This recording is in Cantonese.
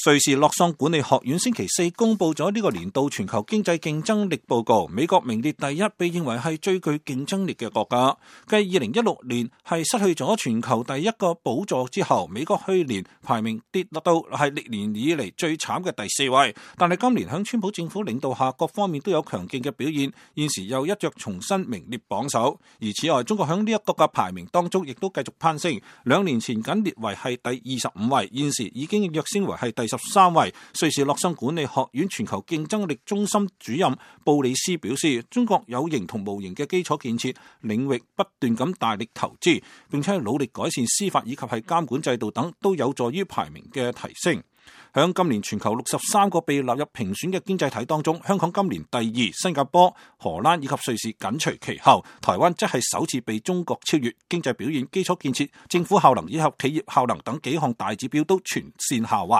瑞士洛桑管理學院星期四公布咗呢個年度全球經濟競爭力報告，美國名列第一，被認為係最具競爭力嘅國家。繼2016年係失去咗全球第一個寶座之後，美國去年排名跌落到係歷年以嚟最慘嘅第4位。但係今年響川普政府領導下，各方面都有強勁嘅表現，現時又一躍重新名列榜首。而此外，中國響呢一個嘅排名當中，亦都繼續攀升，2年前僅列為係第25位，現時已經躍升為係第13位。瑞士洛桑管理學院全球競爭力中心主任布里斯表示，中國有形同無形嘅基礎建設領域不斷咁大力投資，並且努力改善司法以及係監管制度等，都有助於排名嘅提升。響今年全球63個被納入評選嘅經濟體當中，香港今年第2，新加坡、荷蘭以及瑞士緊隨其後，台灣則係首次被中國超越。經濟表現、基礎建設、政府效能以及企業效能等幾項大指標都全線下滑。